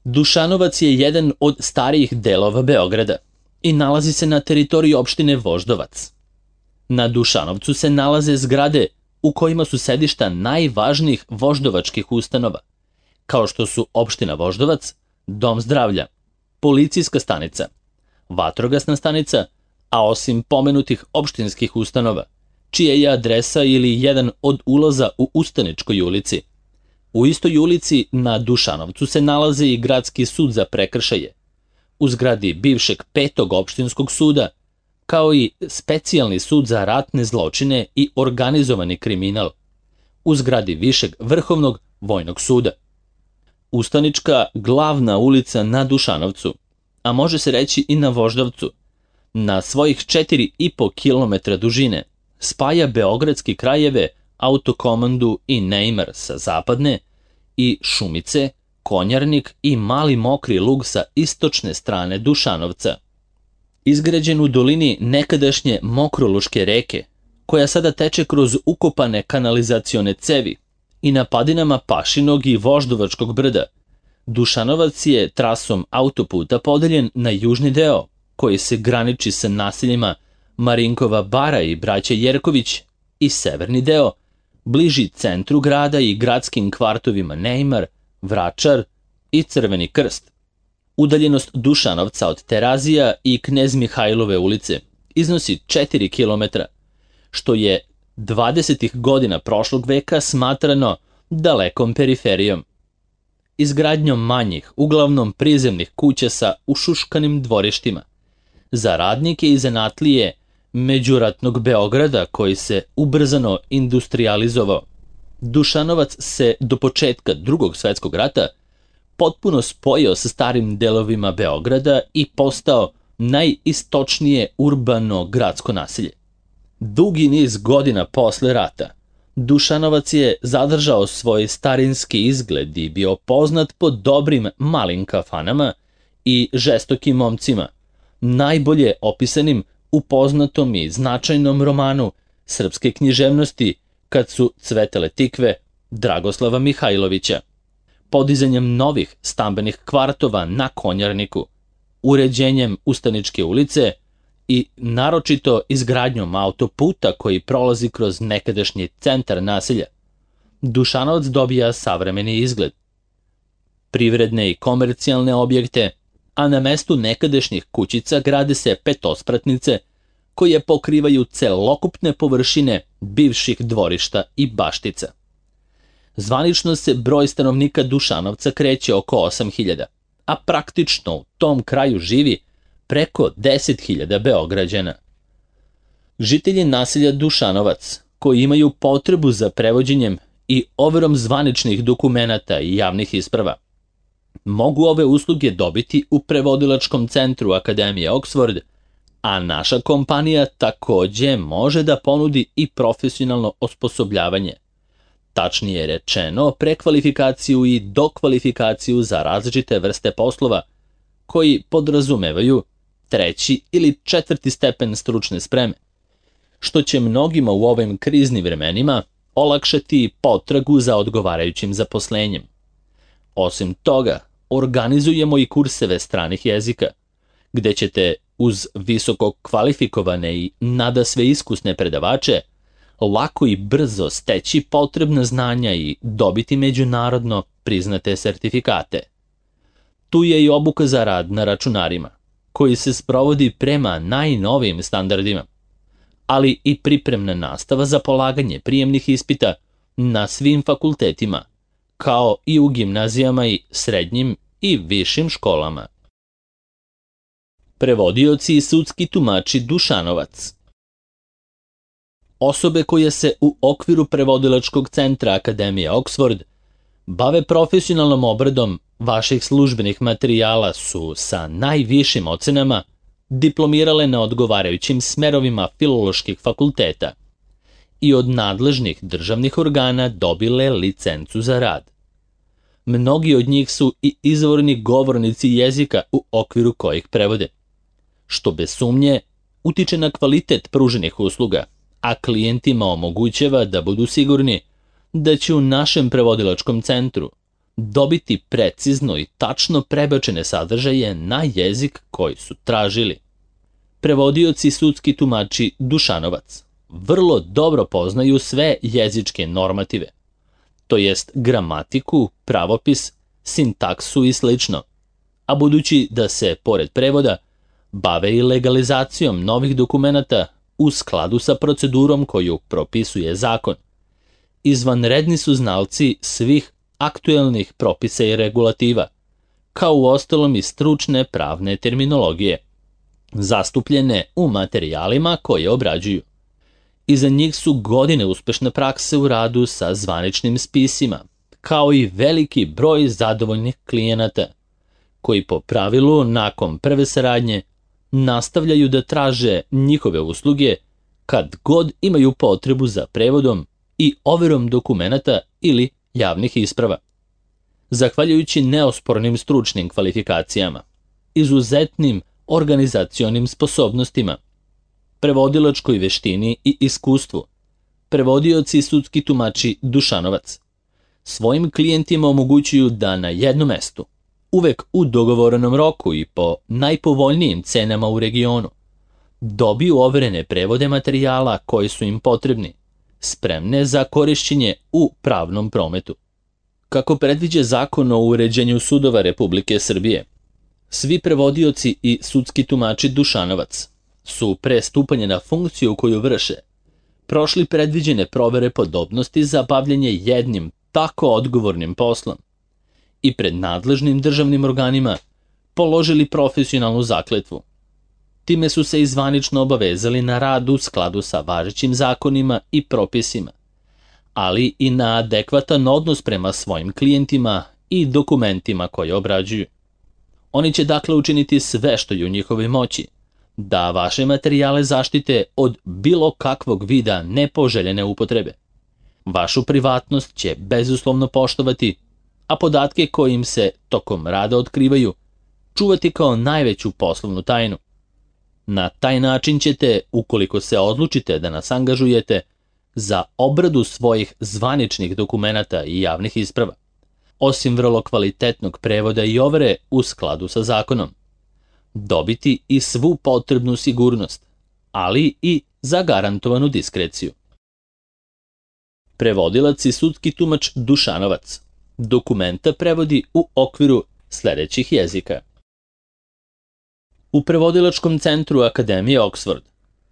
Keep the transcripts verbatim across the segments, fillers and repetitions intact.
Dušanovac je jedan od starijih delova Beograda i nalazi se na teritoriji opštine Voždovac. Na Dušanovcu se nalaze zgrade u kojima su sedišta najvažnijih voždovačkih ustanova, kao što su opština Voždovac, dom zdravlja, policijska stanica, vatrogasna stanica, a osim pomenutih opštinskih ustanova, čija je adresa ili jedan od ulaza u Ustaničkoj ulici. U istoj ulici na Dušanovcu se nalazi i Gradski sud za prekršaje, u zgradi bivšeg petog opštinskog suda, kao i Specijalni sud za ratne zločine i organizovani kriminal, u zgradi višeg vrhovnog vojnog suda. Ustanička glavna ulica na Dušanovcu, a može se reći i na Voždovcu, na svojih četiri i po kilometra dužine, spaja beogradski krajeve Autokomandu i Neimar sa zapadne i Šumice, Konjarnik i Mali Mokri Lug sa istočne strane Dušanovca. Izgrađen u dolini nekadašnje Mokroluške reke, koja sada teče kroz ukopane kanalizacione cevi i na padinama Pašinog i Voždovačkog brda, Dušanovac je trasom autoputa podeljen na južni deo, koji se graniči sa naseljima Marinkova Bara i Braća Jerković, i severni deo, bliži centru grada i gradskim kvartovima Neimar, Vračar i Crveni krst. Udaljenost Dušanovca od Terazija i Knez Mihajlove ulice iznosi četiri kilometra, što je dvadesetih godina prošlog veka smatrano dalekom periferijom. Izgradnjom manjih, uglavnom prizemnih kuća sa ušuškanim dvorištima, za radnike i zanatlije međuratnog Beograda koji se ubrzano industrializovao, Dušanovac se do početka Drugog svetskog rata potpuno spojio sa starim delovima Beograda i postao najistočnije urbano gradsko naselje. Dugi niz godina posle rata, Dušanovac je zadržao svoj starinski izgled i bio poznat po dobrim malim kafanama i žestokim momcima, najbolje opisanim u poznatom i značajnom romanu srpske književnosti Kad su cvetele tikve Dragoslava Mihajlovića. Podizanjem novih stambenih kvartova na Konjarniku, uređenjem Ustaničke ulice i naročito izgradnjom autoputa koji prolazi kroz nekadašnji centar naselja, Dušanovac dobija savremeni izgled. Privredne i komercijalne objekte, a na mestu nekadašnjih kućica grade se petospratnice koje pokrivaju celokupne površine bivših dvorišta i baštica. Zvanično se broj stanovnika Dušanovca kreće oko osam hiljada, a praktično u tom kraju živi preko deset hiljada Beograđana. Žitelji naselja Dušanovac, koji imaju potrebu za prevođenjem i overom zvaničnih dokumenata i javnih isprava, mogu ove usluge dobiti u prevodilačkom centru Akademije Oxford, a naša kompanija takođe može da ponudi i profesionalno osposobljavanje. Tačnije rečeno, prekvalifikaciju i dokvalifikaciju za različite vrste poslova, koji podrazumevaju treći ili četvrti stepen stručne spreme, što će mnogima u ovim kriznim vremenima olakšati potragu za odgovarajućim zaposlenjem. Osim toga, organizujemo i kurseve stranih jezika, gde ćete uz visoko kvalifikovane i nadasve iskusne predavače lako i brzo steći potrebna znanja i dobiti međunarodno priznate sertifikate. Tu je i obuka za rad na računarima, koji se sprovodi prema najnovijim standardima, ali i pripremna nastava za polaganje prijemnih ispita na svim fakultetima, kao i u gimnazijama i srednjim i višim školama. Prevodioci i sudski tumači Dušanovac. Osobe koje se u okviru prevodilačkog centra Akademije Oxford bave profesionalnom obradom vaših službenih materijala su sa najvišim ocenama diplomirale na odgovarajućim smerovima filoloških fakulteta i od nadležnih državnih organa dobile licencu za rad. Mnogi od njih su i izvorni govornici jezika u okviru kojih prevode, što bez sumnje utiče na kvalitet pruženih usluga, a klijentima omogućava da budu sigurni da će u našem prevodilačkom centru dobiti precizno i tačno prebačene sadržaje na jezik koji su tražili. Prevodioci i sudski tumači Dušanovac vrlo dobro poznaju sve jezičke normative, to jest gramatiku, pravopis, sintaksu i slično, a budući da se, pored prevoda, bave i legalizacijom novih dokumenata u skladu sa procedurom koju propisuje zakon, izvanredni su znalci svih aktuelnih propisa i regulativa, kao uostalom i stručne pravne terminologije, zastupljene u materijalima koje obrađuju. Iza njih su godine uspešne prakse u radu sa zvaničnim spisima, kao i veliki broj zadovoljnih klijenata, koji po pravilu nakon prve saradnje nastavljaju da traže njihove usluge kad god imaju potrebu za prevodom i overom dokumenata ili javnih isprava. Zahvaljujući neospornim stručnim kvalifikacijama, izuzetnim organizacionim sposobnostima, prevodilačkoj veštini i iskustvu, prevodioci i sudski tumači Dušanovac svojim klijentima omogućuju da na jednom mestu, uvek u dogovorenom roku i po najpovoljnijim cenama u regionu, dobiju overene prevode materijala koji su im potrebni, spremne za korišćenje u pravnom prometu. Kako predviđa Zakon o uređenju sudova Republike Srbije, svi prevodioci i sudski tumači Dušanovac su pre stupanja na funkciju koju vrše prošli predviđene provere podobnosti za bavljanje jednim tako odgovornim poslom i pred nadležnim državnim organima položili profesionalnu zakletvu. Time su se i zvanično obavezali na rad u skladu sa važećim zakonima i propisima, ali i na adekvatan odnos prema svojim klijentima i dokumentima koje obrađuju. Oni će dakle učiniti sve što je u njihovoj moći da vaše materijale zaštite od bilo kakvog vida nepoželjene upotrebe. Vašu privatnost će bezuslovno poštovati, a podatke koje im se tokom rada otkrivaju čuvati kao najveću poslovnu tajnu. Na taj način ćete, ukoliko se odlučite da nas angažujete za obradu svojih zvaničnih dokumenata i javnih isprava, osim vrlo kvalitetnog prevoda i overe u skladu sa zakonom, dobiti i svu potrebnu sigurnost, ali i zagarantovanu diskreciju. Prevodilac i sudski tumač Dušanovac dokumenta prevodi u okviru sledećih jezika. U Prevodilačkom centru Akademije Oxford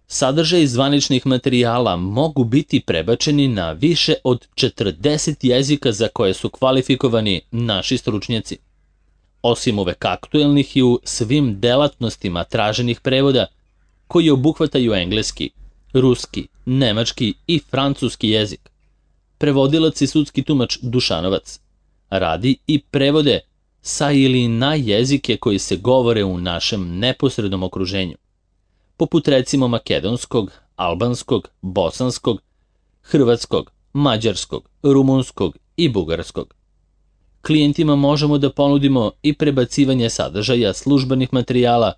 sadržaj zvaničnih materijala mogu biti prebačeni na više od četrdeset jezika za koje su kvalifikovani naši stručnjaci. Osim uvek aktuelnih i u svim delatnostima traženih prevoda koji obuhvataju engleski, ruski, nemački i francuski jezik, prevodilac i sudski tumač Dušanovac radi i prevode sa ili na jezike koji se govore u našem neposrednom okruženju, poput recimo makedonskog, albanskog, bosanskog, hrvatskog, mađarskog, rumunskog i bugarskog. Klijentima možemo da ponudimo i prebacivanje sadržaja službenih materijala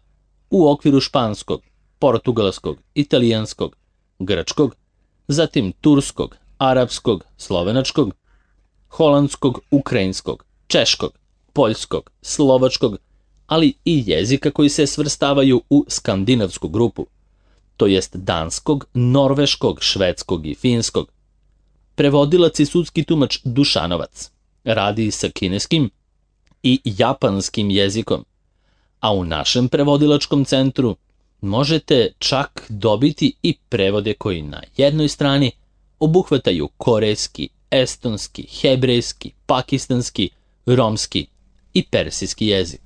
u okviru španskog, portugalskog, italijanskog, grčkog, zatim turskog, arapskog, slovenačkog, holandskog, ukrajinskog, češkog, poljskog, slovačkog, ali i jezika koji se svrstavaju u skandinavsku grupu, to jest danskog, norveškog, švedskog i finskog. Prevodilac i sudski tumač Dušanovac radi sa kineskim i japanskim jezikom, a u našem prevodilačkom centru možete čak dobiti i prevode koji na jednoj strani obuhvataju korejski, estonski, hebrejski, pakistanski, romski i persijski jezik.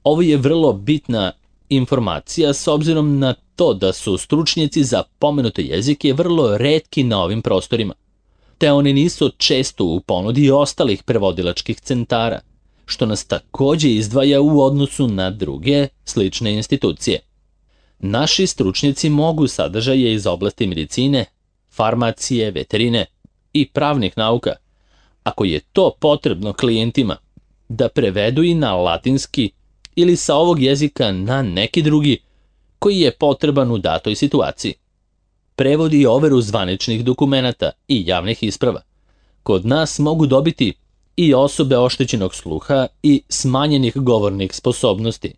Ovo je vrlo bitna informacija s obzirom na to da su stručnjaci za pomenute jezike vrlo retki na ovim prostorima, te oni nisu često u ponudi ostalih prevodilačkih centara, što nas takođe izdvaja u odnosu na druge slične institucije. Naši stručnjaci mogu sadržaje iz oblasti medicine, farmacije, veterine i pravnih nauka, ako je to potrebno klijentima, da prevedu i na latinski ili sa ovog jezika na neki drugi koji je potreban u datoj situaciji. Prevodi i overu zvaničnih dokumenata i javnih isprava kod nas mogu dobiti i osobe oštećenog sluha i smanjenih govornih sposobnosti,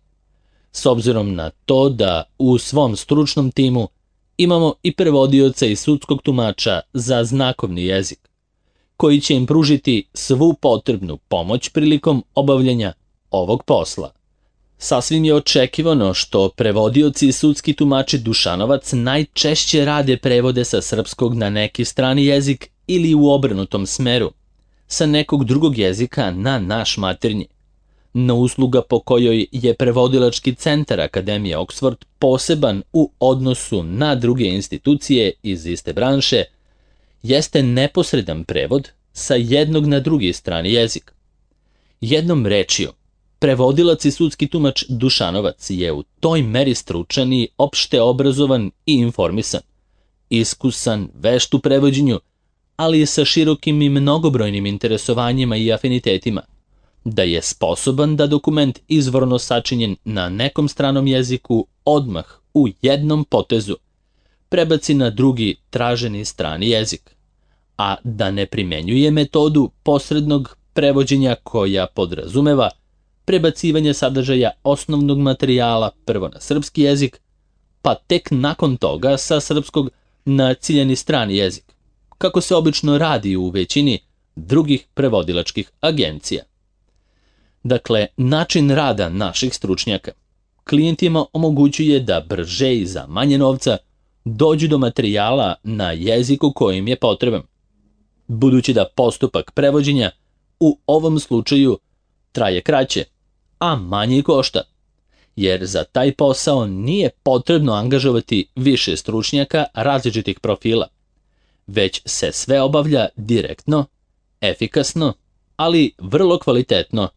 s obzirom na to da u svom stručnom timu imamo i prevodioca i sudskog tumača za znakovni jezik, koji će im pružiti svu potrebnu pomoć prilikom obavljanja ovog posla. Sasvim je očekivano što prevodioci i sudski tumači Dušanovac najčešće rade prevode sa srpskog na neki strani jezik ili u obrnutom smeru, sa nekog drugog jezika na naš maternji. No usluga po kojoj je prevodilački centar Akademije Oxford poseban u odnosu na druge institucije iz iste branše jeste neposredan prevod sa jednog na drugi strani jezik. Jednom rečju, prevodilac i sudski tumač Dušanovac je u toj meri stručan i opšte obrazovan i informisan, iskusan, vešt u prevođenju, ali i sa širokim i mnogobrojnim interesovanjima i afinitetima, da je sposoban da dokument izvorno sačinjen na nekom stranom jeziku odmah u jednom potezu prebaci na drugi traženi strani jezik, a da ne primenjuje metodu posrednog prevođenja koja podrazumeva prebacivanje sadržaja osnovnog materijala prvo na srpski jezik, pa tek nakon toga sa srpskog na ciljani strani jezik, kako se obično radi u većini drugih prevodilačkih agencija. Dakle, način rada naših stručnjaka klijentima omogućuje da brže i za manje novca dođu do materijala na jeziku koji im je potreban, budući da postupak prevođenja u ovom slučaju traje kraće, a manje košta, jer za taj posao nije potrebno angažovati više stručnjaka različitih profila, već se sve obavlja direktno, efikasno, ali vrlo kvalitetno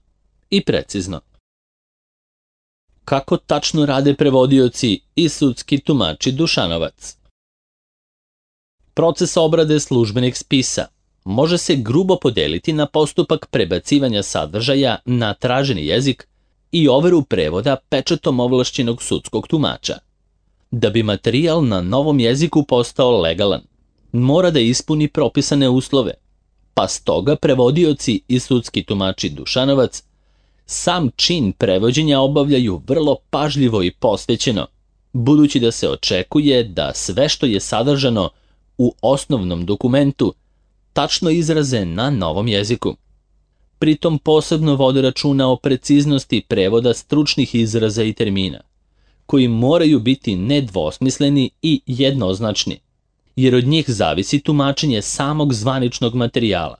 i precizno. Kako tačno rade prevodioci i sudski tumači Dušanovac? Proces obrade službenih spisa može se grubo podeliti na postupak prebacivanja sadržaja na traženi jezik i overu prevoda pečatom ovlašćenog sudskog tumača. Da bi materijal na novom jeziku postao legalan, mora da ispuni propisane uslove, pa stoga prevodioci i sudski tumači Dušanovac sam čin prevođenja obavljaju vrlo pažljivo i posvećeno, budući da se očekuje da sve što je sadržano u osnovnom dokumentu tačno izraze na novom jeziku. Pritom posebno vode računa o preciznosti prevoda stručnih izraza i termina, koji moraju biti nedvosmisleni i jednoznačni, jer od njih zavisi tumačenje samog zvaničnog materijala.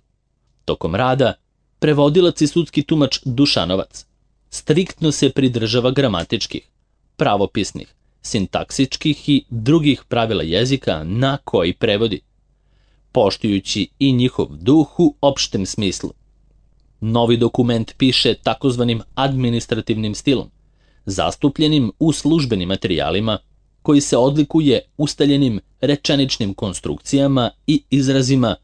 Tokom rada, prevodilac i sudski tumač Dušanovac striktno se pridržava gramatičkih, pravopisnih, sintaksičkih i drugih pravila jezika na koji prevodi, poštujući i njihov duh u opštem smislu. Novi dokument piše takozvanim administrativnim stilom, zastupljenim u službenim materijalima, koji se odlikuje ustaljenim rečeničnim konstrukcijama i izrazima,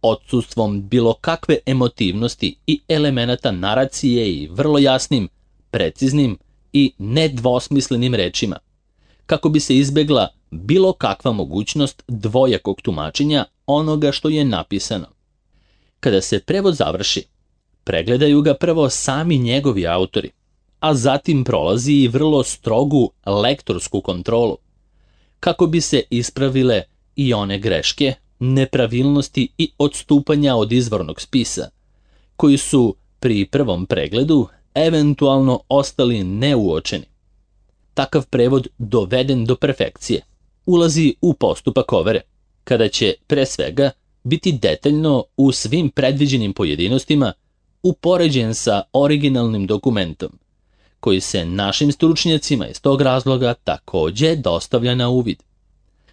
odsustvom bilo kakve emotivnosti i elemenata naracije i vrlo jasnim, preciznim i nedvosmislenim rečima, kako bi se izbegla bilo kakva mogućnost dvojakog tumačenja onoga što je napisano. Kada se prevod završi, pregledaju ga prvo sami njegovi autori, a zatim prolazi i vrlo strogu lektorsku kontrolu, kako bi se ispravile i one greške, nepravilnosti i odstupanja od izvornog spisa, koji su pri prvom pregledu eventualno ostali neuočeni. Takav prevod doveden do perfekcije ulazi u postupak overe, kada će pre svega biti detaljno u svim predviđenim pojedinostima upoređen sa originalnim dokumentom, koji se našim stručnjacima iz tog razloga takođe dostavlja na uvid.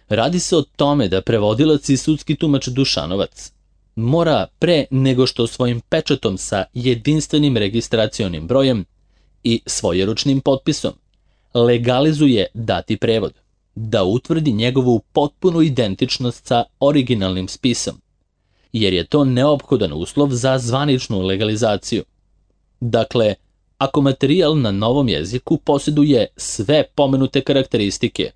Radi se o tome da prevodilac i sudski tumač Dušanovac mora pre nego što svojim pečatom sa jedinstvenim registracionim brojem i svojeručnim potpisom legalizuje dati prevod, da utvrdi njegovu potpunu identičnost sa originalnim spisom, jer je to neophodan uslov za zvaničnu legalizaciju. Dakle, ako materijal na novom jeziku posjeduje sve pomenute karakteristike,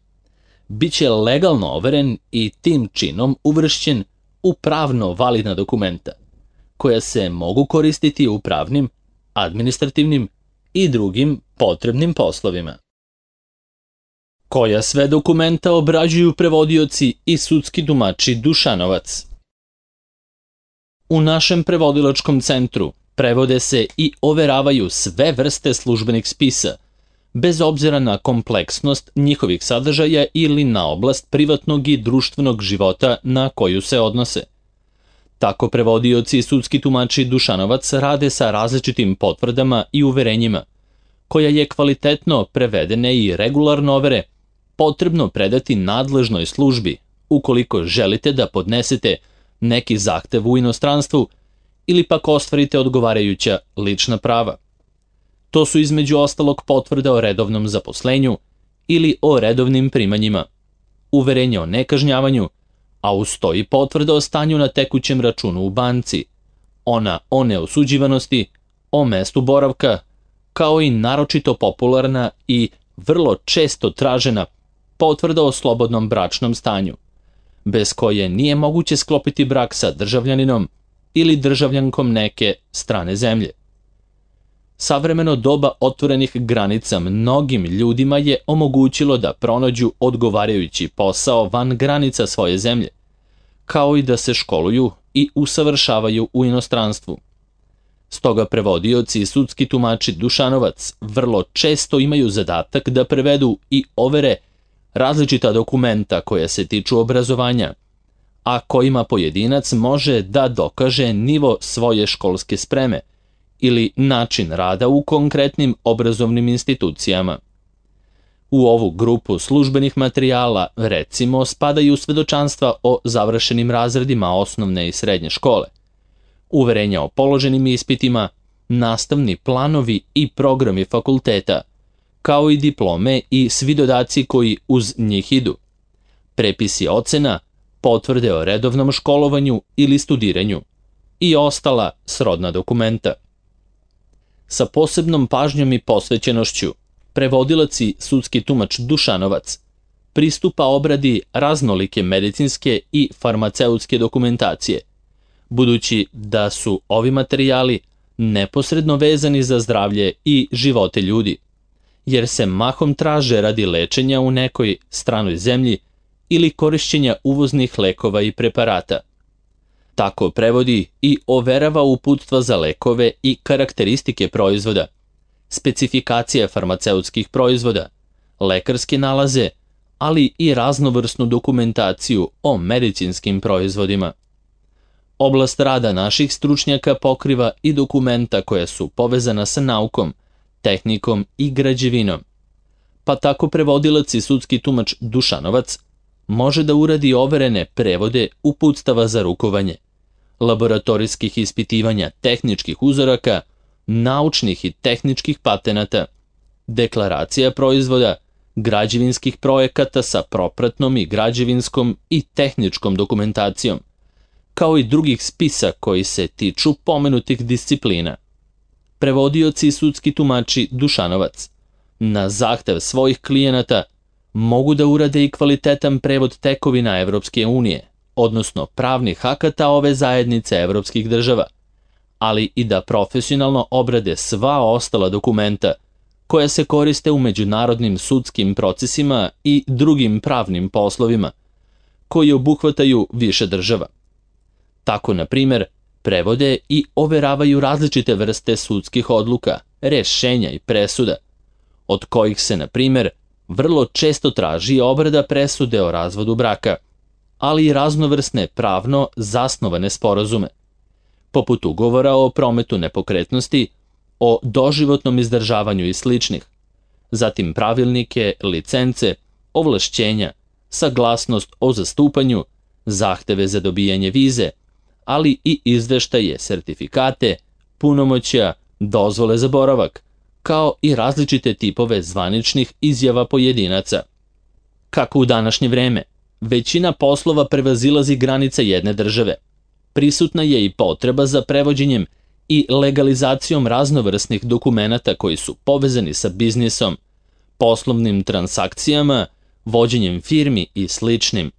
bit će legalno overen i tim činom uvršćen u pravno validna dokumenta, koja se mogu koristiti u pravnim, administrativnim i drugim potrebnim poslovima. Koja sve dokumenta obrađuju prevodioci i sudski tumači Dušanovac? U našem prevodilačkom centru prevode se i overavaju sve vrste službenih spisa, bez obzira na kompleksnost njihovih sadržaja ili na oblast privatnog i društvenog života na koju se odnose. Tako prevodioci i sudski tumači Dušanovac rade sa različitim potvrdama i uverenjima, koja je kvalitetno prevedene i regularno overe potrebno predati nadležnoj službi ukoliko želite da podnesete neki zahtev u inostranstvu ili pak ostvarite odgovarajuća lična prava. To su između ostalog potvrda o redovnom zaposlenju ili o redovnim primanjima, uverenje o nekažnjavanju, a uz to i potvrda o stanju na tekućem računu u banci, ona o neosuđivanosti, o mestu boravka, kao i naročito popularna i vrlo često tražena potvrda o slobodnom bračnom stanju, bez koje nije moguće sklopiti brak sa državljaninom ili državljankom neke strane zemlje. Savremeno doba otvorenih granica mnogim ljudima je omogućilo da pronađu odgovarajući posao van granica svoje zemlje, kao i da se školuju i usavršavaju u inostranstvu. Stoga prevodioci i sudski tumači Dušanovac vrlo često imaju zadatak da prevedu i overe različita dokumenta koja se tiču obrazovanja, a kojima pojedinac može da dokaže nivo svoje školske spreme ili način rada u konkretnim obrazovnim institucijama. U ovu grupu službenih materijala, recimo, spadaju svedočanstva o završenim razredima osnovne i srednje škole, uverenja o položenim ispitima, nastavni planovi i programi fakulteta, kao i diplome i svi dodaci koji uz njih idu, prepisi ocena, potvrde o redovnom školovanju ili studiranju i ostala srodna dokumenta. Sa posebnom pažnjom i posvećenošću, prevodilac i sudski tumač Dušanovac pristupa obradi raznolike medicinske i farmaceutske dokumentacije, budući da su ovi materijali neposredno vezani za zdravlje i živote ljudi, jer se mahom traže radi lečenja u nekoj stranoj zemlji ili korišćenja uvoznih lekova i preparata. Tako prevodi i overava uputstva za lekove i karakteristike proizvoda, specifikacije farmaceutskih proizvoda, lekarske nalaze, ali i raznovrsnu dokumentaciju o medicinskim proizvodima. Oblast rada naših stručnjaka pokriva i dokumenta koja su povezana sa naukom, tehnikom i građevinom. Pa tako prevodilac i sudski tumač Dušanovac može da uradi overene prevode uputstava za rukovanje, laboratorijskih ispitivanja tehničkih uzoraka, naučnih i tehničkih patenata, deklaracija proizvoda, građevinskih projekata sa propratnom i građevinskom i tehničkom dokumentacijom, kao i drugih spisa koji se tiču pomenutih disciplina. Prevodioci i sudski tumači Dušanovac na zahtev svojih klijenata mogu da urade i kvalitetan prevod tekovina Evropske unije, odnosno pravnih akata ove zajednice evropskih država, ali i da profesionalno obrade sva ostala dokumenta koja se koriste u međunarodnim sudskim procesima i drugim pravnim poslovima, koji obuhvataju više država. Tako, na primjer, prevode i overavaju različite vrste sudskih odluka, rešenja i presuda, od kojih se, na primjer, vrlo često traži obrada presude o razvodu braka, ali i raznovrsne pravno zasnovane sporazume, poput ugovora o prometu nepokretnosti, o doživotnom izdržavanju i sličnih, zatim pravilnike, licence, ovlašćenja, saglasnost o zastupanju, zahteve za dobijanje vize, ali i izveštaje, sertifikate, punomoćja, dozvole za boravak, kao i različite tipove zvaničnih izjava pojedinaca. Kako u današnje vreme, većina poslova prevazilazi granice jedne države. Prisutna je i potreba za prevođenjem i legalizacijom raznovrsnih dokumenata koji su povezani sa biznisom, poslovnim transakcijama, vođenjem firmi i sličnim.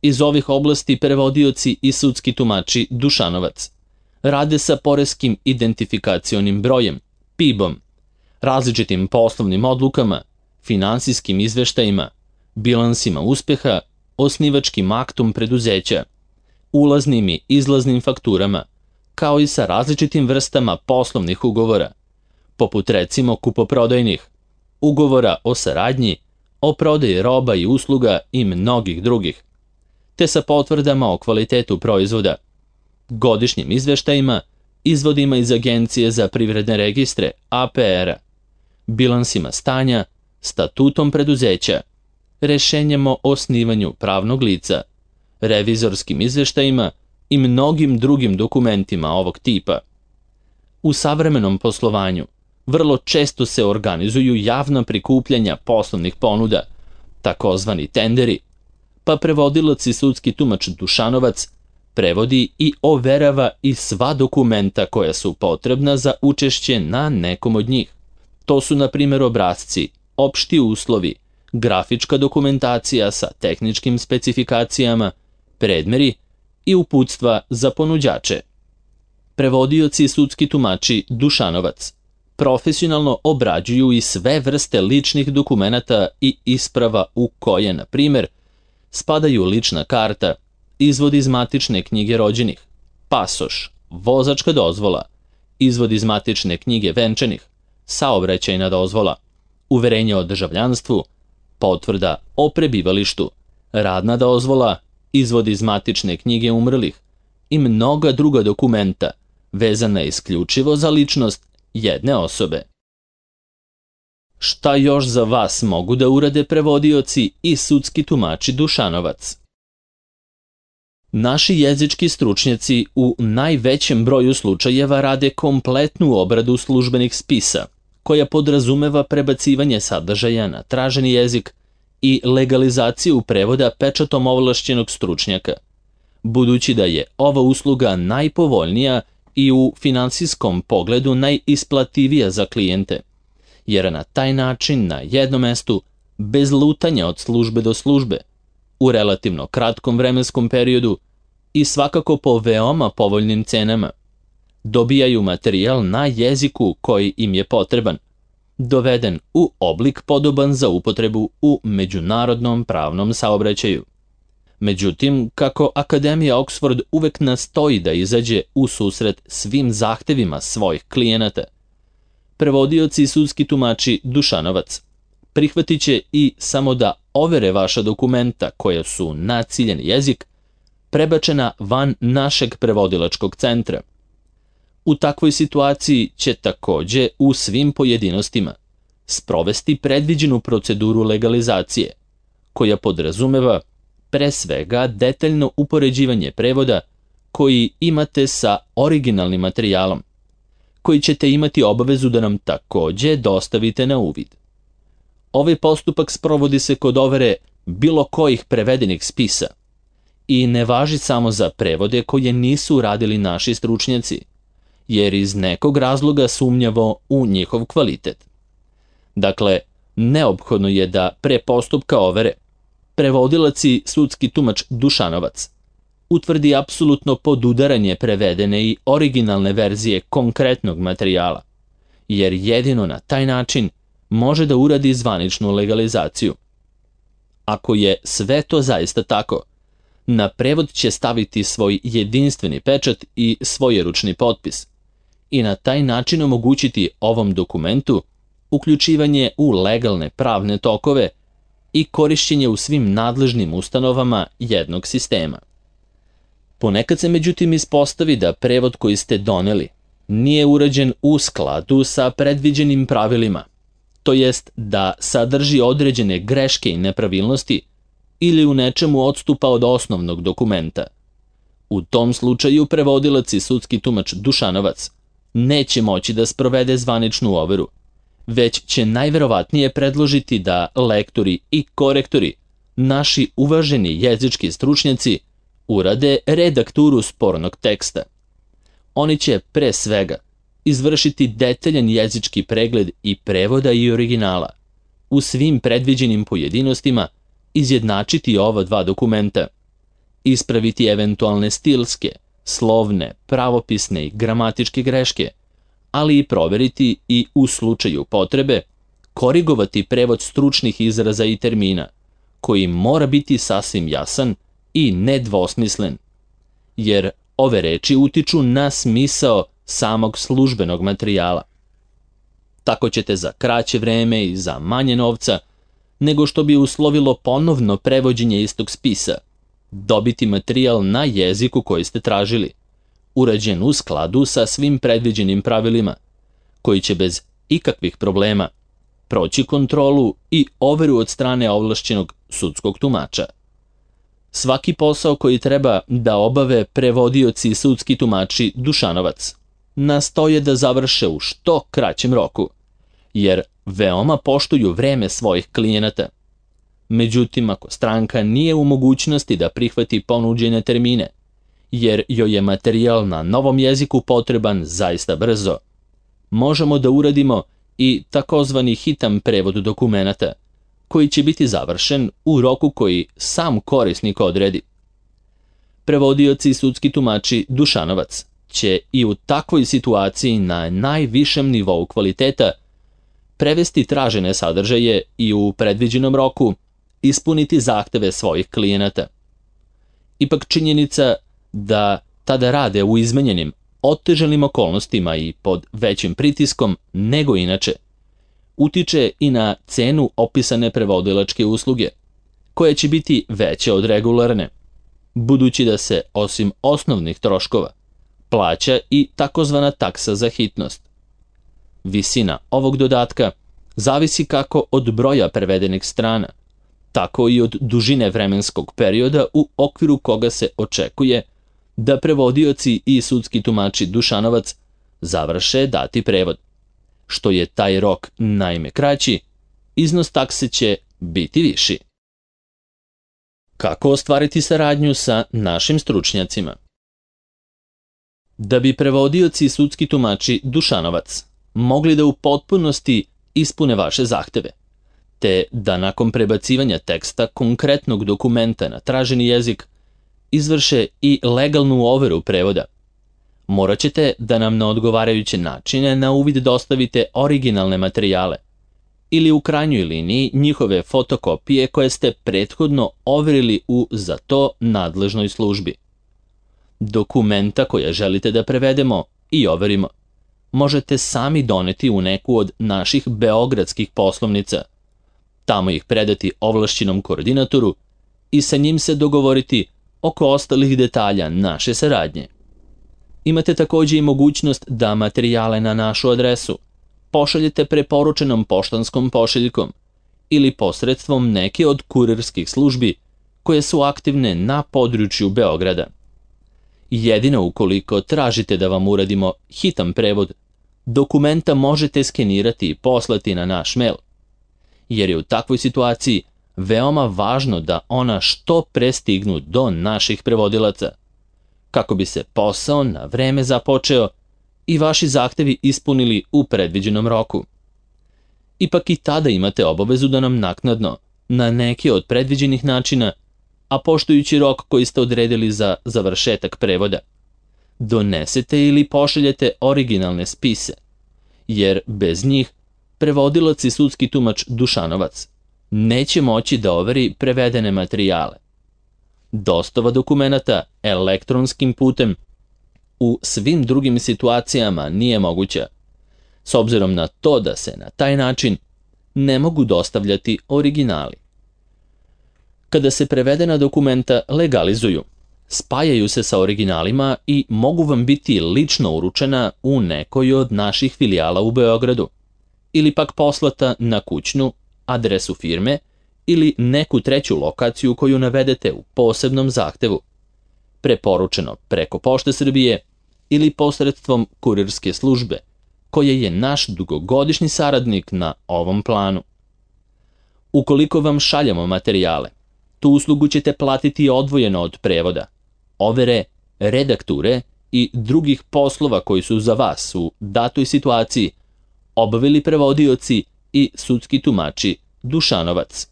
Iz ovih oblasti prevodioci i sudski tumači Dušanovac rade sa poreskim identifikacionim brojem, P I B-om, različitim poslovnim odlukama, finansijskim izveštajima, bilansima uspeha, osnivačkim aktom preduzeća, ulaznim i izlaznim fakturama, kao i sa različitim vrstama poslovnih ugovora, poput recimo kupoprodajnih, ugovora o saradnji, o prodaji roba i usluga i mnogih drugih, te sa potvrdama o kvalitetu proizvoda, godišnjim izveštajima, izvodima iz Agencije za privredne registre, A P R-a, bilansima stanja, statutom preduzeća, rešenjem o osnivanju pravnog lica, revizorskim izveštajima i mnogim drugim dokumentima ovog tipa. U savremenom poslovanju vrlo često se organizuju javna prikupljanja poslovnih ponuda, takozvani tenderi, pa prevodilac i sudski tumač Dušanovac prevodi i overava i sva dokumenta koja su potrebna za učešće na nekom od njih. To su, na primjer, obrasci, opšti uslovi, grafička dokumentacija sa tehničkim specifikacijama, predmeri i uputstva za ponuđače. Prevodioci i sudski tumači Dušanovac profesionalno obrađuju i sve vrste ličnih dokumenata i isprava u koje, na primjer, spadaju lična karta, izvod iz matične knjige rođenih, pasoš, vozačka dozvola, izvod iz matične knjige venčanih, saobraćajna dozvola, uverenje o državljanstvu, potvrda o prebivalištu, radna dozvola, izvod iz matične knjige umrlih i mnoga druga dokumenta vezana isključivo za ličnost jedne osobe. Šta još za vas mogu da urade prevodioci i sudski tumači Dušanovac? Naši jezički stručnjaci u najvećem broju slučajeva rade kompletnu obradu službenih spisa, koja podrazumeva prebacivanje sadržaja na traženi jezik i legalizaciju prevoda pečatom ovlašćenog stručnjaka, budući da je ova usluga najpovoljnija i u finansijskom pogledu najisplativija za klijente, jer na taj način na jednom mestu, bez lutanja od službe do službe, u relativno kratkom vremenskom periodu i svakako po veoma povoljnim cenama, dobijaju materijal na jeziku koji im je potreban, doveden u oblik podoban za upotrebu u međunarodnom pravnom saobraćaju. Međutim, kako Akademija Oxford uvek nastoji da izađe u susret svim zahtevima svojih klijenata, prevodioci i sudski tumači Dušanovac prihvatit će i samo da overe vaša dokumenta koja su na ciljeni jezik prebačena van našeg prevodilačkog centra. U takvoj situaciji će takođe u svim pojedinostima sprovesti predviđenu proceduru legalizacije, koja podrazumeva pre svega detaljno upoređivanje prevoda koji imate sa originalnim materijalom, koji ćete imati obavezu da nam takođe dostavite na uvid. Ovaj postupak sprovodi se kod overe bilo kojih prevedenih spisa i ne važi samo za prevode koje nisu radili naši stručnjaci, jer iz nekog razloga sumnjavo u njihov kvalitet. Dakle, neophodno je da pre postupka overe prevodilac i sudski tumač Dušanovac utvrdi apsolutno podudaranje prevedene i originalne verzije konkretnog materijala, jer jedino na taj način može da uradi zvaničnu legalizaciju. Ako je sve to zaista tako, na prevod će staviti svoj jedinstveni pečat i svojeručni potpis i na taj način omogućiti ovom dokumentu uključivanje u legalne pravne tokove i korišćenje u svim nadležnim ustanovama jednog sistema. Ponekad se međutim ispostavi da prevod koji ste doneli nije urađen u skladu sa predviđenim pravilima, to jest da sadrži određene greške i nepravilnosti ili u nečemu odstupa od osnovnog dokumenta. U tom slučaju prevodilac i sudski tumač Dušanovac neće moći da sprovede zvaničnu overu, već će najverovatnije predložiti da lektori i korektori, naši uvaženi jezički stručnjaci, urade redakturu spornog teksta. Oni će pre svega izvršiti detaljan jezički pregled i prevoda i originala, u svim predviđenim pojedinostima izjednačiti ova dva dokumenta, ispraviti eventualne stilske, slovne, pravopisne i gramatičke greške, ali i proveriti i u slučaju potrebe korigovati prevod stručnih izraza i termina, koji mora biti sasvim jasan i nedvosmislen, jer ove reči utiču na smisao samog službenog materijala. Tako ćete za kraće vreme i za manje novca, nego što bi uslovilo ponovno prevođenje istog spisa, dobiti materijal na jeziku koji ste tražili, urađen u skladu sa svim predviđenim pravilima, koji će bez ikakvih problema proći kontrolu i overu od strane ovlašćenog sudskog tumača. Svaki posao koji treba da obave prevodioci i sudski tumači Dušanovac nastoje da završe u što kraćem roku, jer veoma poštuju vreme svojih klijenata. Međutim, ako stranka nije u mogućnosti da prihvati ponuđene termine, jer joj je materijal na novom jeziku potreban zaista brzo, možemo da uradimo i takozvani hitan prevod dokumenata, koji će biti završen u roku koji sam korisnik odredi. Prevodioci i sudski tumači Dušanovac će i u takvoj situaciji na najvišem nivou kvaliteta prevesti tražene sadržaje i u predviđenom roku ispuniti zahteve svojih klijenata. Ipak činjenica da tada rade u izmenjenim, otežanim okolnostima i pod većim pritiskom nego inače, utiče i na cenu opisane prevodilačke usluge, koja će biti veća od regularne, budući da se, osim osnovnih troškova, plaća i takozvana taksa za hitnost. Visina ovog dodatka zavisi kako od broja prevedenih strana, tako i od dužine vremenskog perioda u okviru koga se očekuje da prevodioci i sudski tumači Dušanovac završe dati prevod. Što je taj rok naime kraći, iznos takse će biti viši. Kako ostvariti saradnju sa našim stručnjacima? Da bi prevodioci i sudski tumači Dušanovac mogli da u potpunosti ispune vaše zahteve, te da nakon prebacivanja teksta konkretnog dokumenta na traženi jezik izvrše i legalnu overu prevoda, morat ćete da nam na odgovarajuće načine na uvid dostavite originalne materijale ili u krajnjoj liniji njihove fotokopije koje ste prethodno overili u za to nadležnoj službi. Dokumenta koje želite da prevedemo i overimo možete sami doneti u neku od naših beogradskih poslovnica, tamo ih predati ovlašćenom koordinatoru i sa njim se dogovoriti oko ostalih detalja naše saradnje. Imate također i mogućnost da materijale na našu adresu pošaljete preporučenom poštanskom pošiljkom ili posredstvom neke od kurirskih službi koje su aktivne na području Beograda. Jedino ukoliko tražite da vam uradimo hitan prevod, dokumenta možete skenirati i poslati na naš mail, jer je u takvoj situaciji veoma važno da ona što pre stignu do naših prevodilaca, kako bi se posao na vreme započeo i vaši zahtevi ispunili u predviđenom roku. Ipak i tada imate obavezu da nam naknadno, na neki od predviđenih načina, a poštujući rok koji ste odredili za završetak prevoda, donesete ili pošaljete originalne spise, jer bez njih prevodilac i sudski tumač Dušanovac neće moći da overi prevedene materijale. Dostava dokumenata elektronskim putem u svim drugim situacijama nije moguća, s obzirom na to da se na taj način ne mogu dostavljati originali. Kada se prevedena dokumenta legalizuju, spajaju se sa originalima i mogu vam biti lično uručena u nekoj od naših filijala u Beogradu, ili pak poslata na kućnu adresu firme ili neku treću lokaciju koju navedete u posebnom zahtevu, preporučeno preko Pošte Srbije ili posredstvom kurirske službe, koja je naš dugogodišnji saradnik na ovom planu. Ukoliko vam šaljamo materijale, tu uslugu ćete platiti odvojeno od prevoda, overe, redakture i drugih poslova koji su za vas u datoj situaciji obavili prevodioci i sudski tumači Dušanovac.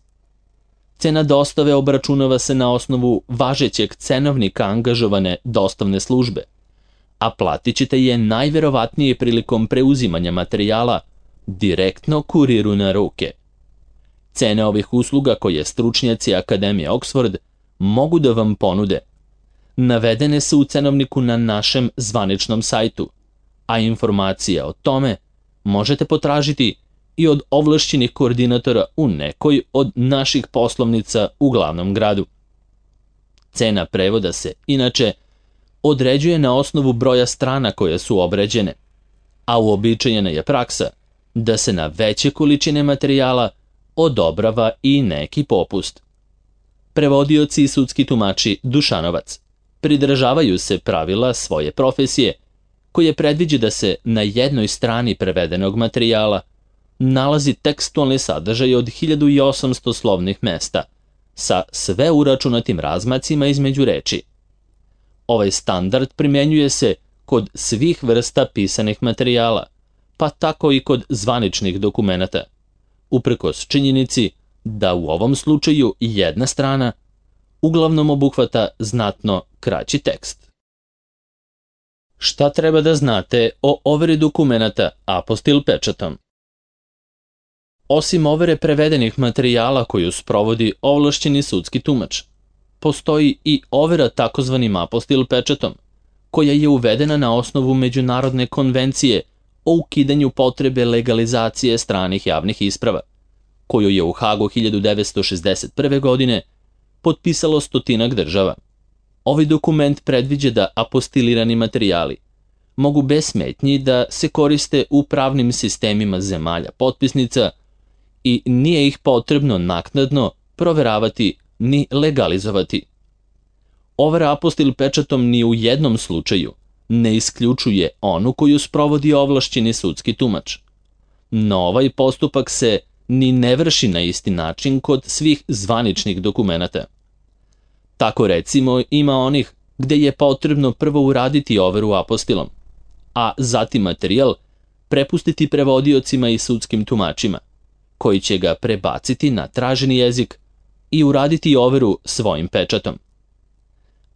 Cena dostave obračunava se na osnovu važećeg cenovnika angažovane dostavne službe, a platit ćete je najverovatnije prilikom preuzimanja materijala direktno kuriru na ruke. Cene ovih usluga koje stručnjaci Akademije Oxford mogu da vam ponude navedene su u cenovniku na našem zvaničnom sajtu, a informacije o tome možete potražiti i od ovlašćenih koordinatora u nekoj od naših poslovnica u glavnom gradu. Cena prevoda se, inače, određuje na osnovu broja strana koje su obrađene, a uobičajena je praksa da se na veće količine materijala odobrava i neki popust. Prevodioci i sudski tumači Dušanovac pridržavaju se pravila svoje profesije, koje predviđa da se na jednoj strani prevedenog materijala nalazi tekstualni sadržaj od hiljadu osamsto slovnih mesta, sa sve uračunatim razmacima između reči. Ovaj standard primenjuje se kod svih vrsta pisanih materijala, pa tako i kod zvaničnih dokumenata, uprkos činjenici da u ovom slučaju jedna strana uglavnom obuhvata znatno kraći tekst. Šta treba da znate o overi dokumenata apostil pečatom? Osim overe prevedenih materijala koju sprovodi ovlašćeni sudski tumač, postoji i overa takozvanim apostil pečatom, koja je uvedena na osnovu Međunarodne konvencije o ukidanju potrebe legalizacije stranih javnih isprava, koju je u Hagu hiljadu devetsto šezdeset prve. godine potpisalo stotinak država. Ovaj dokument predviđa da apostilirani materijali mogu bez smetnji da se koriste u pravnim sistemima zemalja potpisnica i nije ih potrebno naknadno proveravati ni legalizovati. Overa apostil pečatom ni u jednom slučaju ne isključuje onu koju sprovodi ovlašćeni sudski tumač. No ovaj postupak se ni ne vrši na isti način kod svih zvaničnih dokumenata. Tako recimo ima onih gde je potrebno prvo uraditi overu apostilom, a zatim materijal prepustiti prevodiocima i sudskim tumačima, koji će ga prebaciti na traženi jezik i uraditi overu svojim pečatom.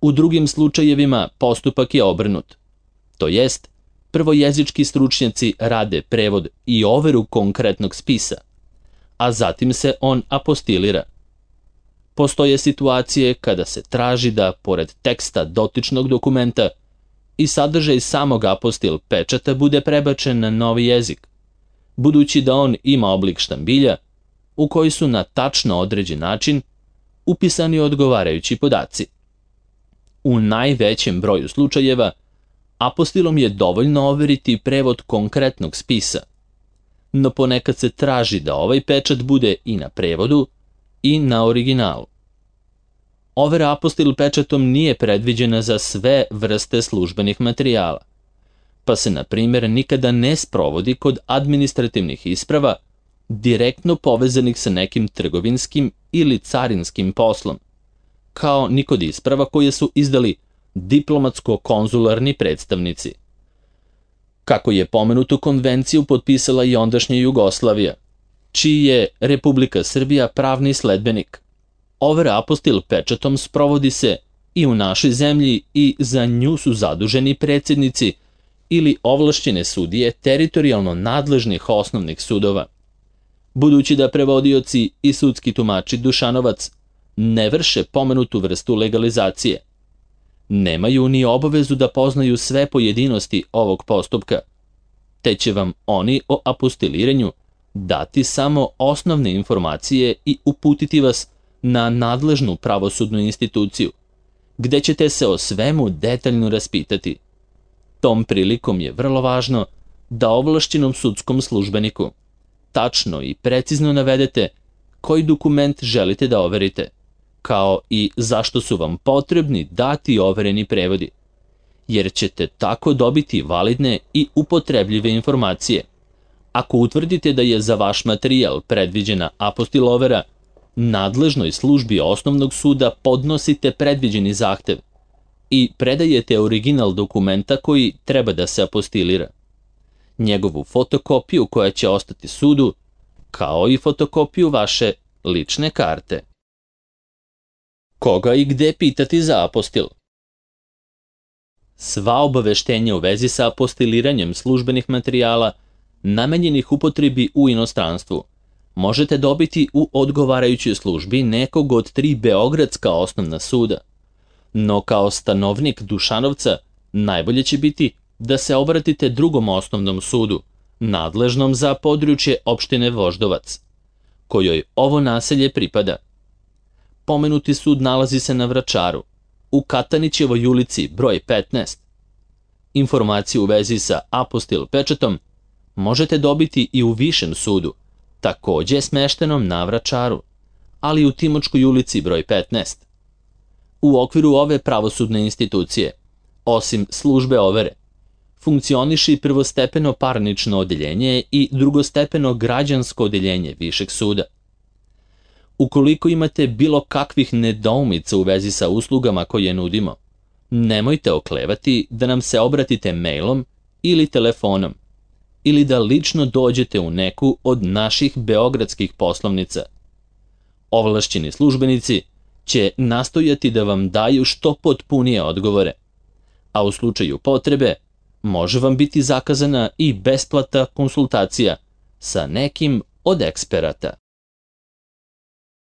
U drugim slučajevima postupak je obrnut, to jest prvo jezički stručnjaci rade prevod i overu konkretnog spisa, a zatim se on apostilira. Postoje situacije kada se traži da, pored teksta dotičnog dokumenta, i sadržaj samog apostil pečata bude prebačen na novi jezik, budući da on ima oblik štambilja u koji su na tačno određen način upisani odgovarajući podaci. U najvećem broju slučajeva apostilom je dovoljno overiti prevod konkretnog spisa, no ponekad se traži da ovaj pečat bude i na prevodu i na originalu. Overa apostil pečatom nije predviđena za sve vrste službenih materijala, pa se, na primjer, nikada ne sprovodi kod administrativnih isprava direktno povezanih sa nekim trgovinskim ili carinskim poslom, kao ni kod isprava koje su izdali diplomatsko-konzularni predstavnici. Kako je pomenutu konvenciju potpisala i ondašnja Jugoslavija, čiji je Republika Srbija pravni sledbenik, overa apostil pečatom sprovodi se i u našoj zemlji i za nju su zaduženi predsjednici ili ovlašćene sudije teritorijalno nadležnih osnovnih sudova. Budući da prevodioci i sudski tumači Dušanovac ne vrše pomenutu vrstu legalizacije, nemaju ni obavezu da poznaju sve pojedinosti ovog postupka, te će vam oni o apostiliranju dati samo osnovne informacije i uputiti vas na nadležnu pravosudnu instituciju, gde ćete se o svemu detaljno raspitati. Tom prilikom je vrlo važno da ovlašćenom sudskom službeniku tačno i precizno navedete koji dokument želite da overite, kao i zašto su vam potrebni dati overeni prevodi, jer ćete tako dobiti validne i upotrebljive informacije. Ako utvrdite da je za vaš materijal predviđena apostil overa, nadležnoj službi osnovnog suda podnosite predviđeni zahtev i predajete original dokumenta koji treba da se apostilira, njegovu fotokopiju koja će ostati sudu, kao i fotokopiju vaše lične karte. Koga i gde pitati za apostil? Sva obaveštenja u vezi sa apostiliranjem službenih materijala namenjenih upotrebi u inostranstvu možete dobiti u odgovarajućoj službi nekog od tri beogradska osnovna suda. No kao stanovnik Dušanovca najbolje će biti da se obratite drugom osnovnom sudu, nadležnom za područje opštine Voždovac, kojoj ovo naselje pripada. Pomenuti sud nalazi se na Vračaru, u Katanićevoj ulici broj petnaest. Informaciju u vezi sa apostil pečatom možete dobiti i u Višem sudu, takođe smeštenom na Vračaru, ali u Timočkoj ulici broj petnaest. U okviru ove pravosudne institucije, osim službe overe, funkcioniše i prvostepeno parnično odeljenje i drugostepeno građansko odeljenje Višeg suda. Ukoliko imate bilo kakvih nedoumica u vezi sa uslugama koje nudimo, nemojte oklevati da nam se obratite mailom ili telefonom, ili da lično dođete u neku od naših beogradskih poslovnica. Ovlašćeni službenici će nastojati da vam daju što potpunije odgovore, a u slučaju potrebe može vam biti zakazana i besplatna konsultacija sa nekim od eksperata.